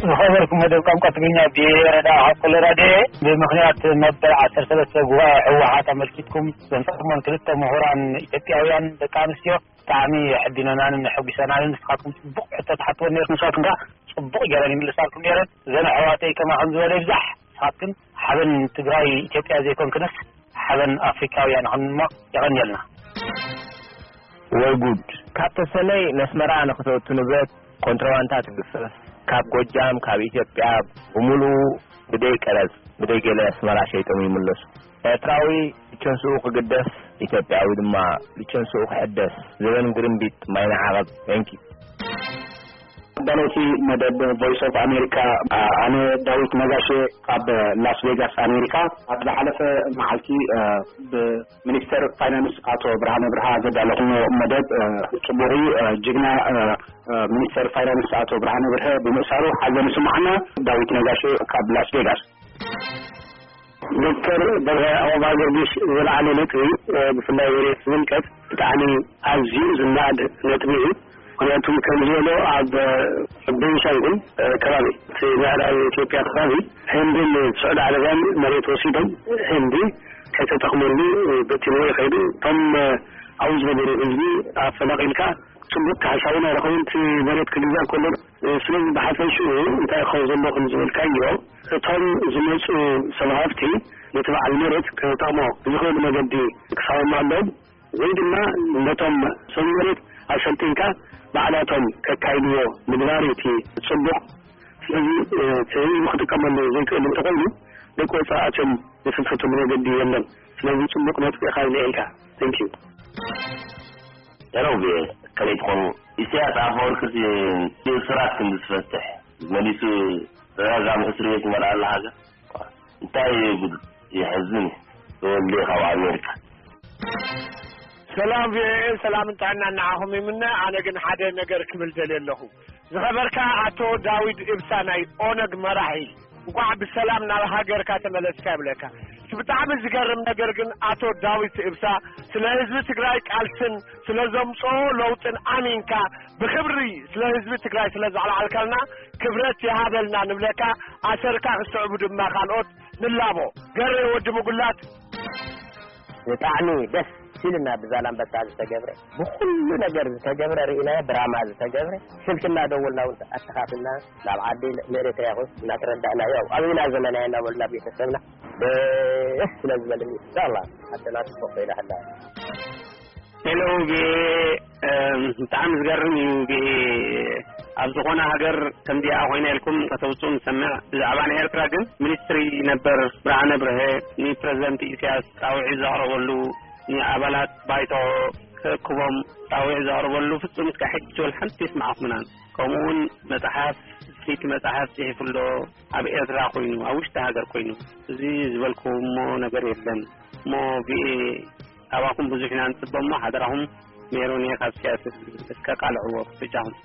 ዝኸበርኩም መደብ ቋንቋ ትግርኛ ብረዳ ካብ ኮሎራዶ፣ ብምኽንያት መበል ዓሰርተ ሰለስተ ጉባኤ ህወሓት ኣመልኪትኩም ዘምጻእኩሞን ክልተ ምሁራን ኢትዮጵያውያን ደቂ ኣንስትዮ ብጣዕሚ የሕዲነናንን የሐጒሰናንን። ንስኻትኩም ጽቡቕ ሕቶ ትሓትዎ ነይርኩም፣ ንሳትኩም ከኣ ጽቡቕ ገይረን ይምልሳልኩም ነይረን። እዘን ኣሕዋተይ ከማኹም ዝበለ ይብዛሕ። ንስኻትክን ሓበን ትግራይ ኢትዮጵያ ዘይኮንክንስ ሓበን ኣፍሪካውያን ይኹን እሞ የቐንየልና። ወይ ጉድ! ካብ ተሰነይ ነስመራ ንኽተእቱ ንብረት ኮንትሮባንታ ትግፈፍ። ካብ ጎጃም፣ ካብ ኢትዮጵያ ብምሉኡ ብደይ ቀረጽ፣ ብደይ ገለ ኣስመራ ሸይጦም ይምለሱ። ኤርትራዊ ልቸንስኡ ክግደስ፣ ኢትዮጵያዊ ድማ ልቸንስኡ ክሕደስ። ዘበን ግርምቢጥ ማይ ንዓቐብ። Thank you። ኣዳለውቲ መደብ ቮይስ ኦፍ ኣሜሪካ፣ ኣነ ዳዊት ነጋሽ ካብ ላስ ቬጋስ ኣሜሪካ። ኣብ ዝሓለፈ መዓልቲ፣ እ፣ ብሚኒስተር ፋይናንስ ኣቶ ብርሃነ ብርሃ ዘዳለኹሞ መደብ፣ እ፣ ጽቡቕ እዩ። እ፣ ጅግና፣ እ፣ እ፣ ሚኒስተር ፋይናንስ ኣቶ ብርሃነ ብርሀ ብምእሳሩ ሓዘን ይስማዓና። ዳዊት ነጋሽ ካብ ላስ ቬጋስ። ዶክተር በርሀ፣ ዓቕባ ገርጊሽ ዝለዓለ ነጥቢ፣ እ፣ ብፍላይ መሬት ዝምልከት ብጣዕሚ ኣዝዩ ዝነኣድ ነጥቢ እዩ። ምኽንያቱ ከም ዝበሎ ኣብ፣ እ፣ ቤንሻንጉል፣ እ፣ ከባቢ፣ እቲ ምዕራብ ኢትዮጵያ ከባቢ ህንድን ስዑዲ ዓረብያን መሬት ወሲዶም ህንዲ ከይተጠቕመሉ በቲንዎ ይኸይዱ። እቶም፣ እ፣ ኣብኡ ዝነበሩ ህዝቢ ኣፈናቒልካ ጽቡቕ ካሕሳ እውን ኣይረኸቡን። እቲ መሬት ክግዛእ ከሎ፣ እ፣ ስለዚ ብሓፈሽኡ እንታይ ክኸውን ዘለዎ ከም ዝበልካዮ፣ እቶም ዝመጹ ሰብ ሃፍቲ ነቲ በዓል መሬት ክጠቕሞ ብዝኽእል መገዲ ክሳወሙ ኣለዎም፣ ወይ ድማ ነቶም ሰብ መሬት ኣሰልጢንካ ባዕላቶም ከካይድዎ ምግባር እቲ ጽቡቕ። ስለዚ፣ እ፣ እቲ ህዝቢ ክጥቀመሉ ዘይክእል እንተኾይኑ ደቂ ወጻኢ ኣትዮም ዝፍትፍትሉ መገዲ የለን። ስለዚ ጽቡቕ ነጥቢ ኢኻ ኣልዒልካ። Thank you። ሄሎ፣ ቪኦኤ፣ ከመይ ትኾኑ? ኢሳያስ ኣፈወርቂ እቲ እሱራት ክንዲ ዝፈትሕ መሊሱ ተደጋጋሚ እስር ቤት ይመልኣ ኣሎ ሃገር። እንታይ እዩ ጉድ? የሕዝን እዩ። ተወልደ ካብ ኣሜሪካ። ሰላም ቪኦኤ፣ ሰላም ጥዕና ንዓኹም ይምነ። ኣነ ግን ሓደ ነገር ክብል ደልየ ኣለኹ። ዝኸበርካ ኣቶ ዳዊት እብሳ ናይ ኦነግ መራሒ፣ እንኳዕ ብሰላም ናብ ሃገርካ ተመለስካ ይብለካ። እቲ ብጣዕሚ ዝገርም ነገር ግን ኣቶ ዳዊት እብሳ ስለ ህዝቢ ትግራይ ቃልስን ስለ ዘምፅኦ ለውጥን ኣሚንካ ብክብሪ ስለ ህዝቢ ትግራይ ስለ ዘዕለዓልካልና ክብረት ይሃበልና ንብለካ። ኣሰርካ ክስዕቡ ድማ ካልኦት ንላቦ። ገሬ ወዲ ምጉላት። ብጣዕሚ ደስ ኢሉና ብዛላምበሳ ዝተገብረ፣ ብኩሉ ነገር ዝተገብረ ርኢናዮ፣ ብራማ ዝተገብረ፣ ስልኪ እናደወልና እውን ኣተኻኺልና ናብ ዓዲ ንኤርትራ ይኹን እናተረዳእና፣ ያው ኣብና ዘመናዮ እናበልና ቤተሰብና ደስ ስለ ዝበለኒ፣ ኢንሻላህ፣ ዓድና ትፈቶ ኢላ ሃላ። ሄሎ፣ ቪኦኤ፣ እም፣ ብጣዕሚ ዝገርም እዩ። ቪኦኤ ኣብ ዝኾነ ሃገር ከምዚኣ ኮይና ኢልኩም ከተውፅኡ ንሰምዕ። ብዛዕባ ናይ ኤርትራ ግን ሚኒስትሪ ነበር ብርሃነ ብርሀ ንፕረዚደንት ኢሳያስ ጻውዒት ዘቕረበሉ፣ ንኣባላት ባይቶ ክእክቦም ጻውዒት ዘቕረበሉ ፍጹም እስከ ሕጂ ወላ ሓንቲ የስማዕኹምናን። ከምኡ እውን መጽሓፍ፣ ፍልይቲ መጽሓፍ ጽሒፉ ኣሎ፣ ኣብ ኤርትራ ኮይኑ፣ ኣብ ውሽጢ ሃገር ኮይኑ። እዚ ዝበልኩሞ ነገር የለን። እሞ ቪኦኤ፣ ካባኹም ብዙሕ ኢና ንጽበ እሞ ሓደራኹም ሜሮን እየ ካብ ሲያትል፣ እስከ ቃልዕዎ በጃኹም።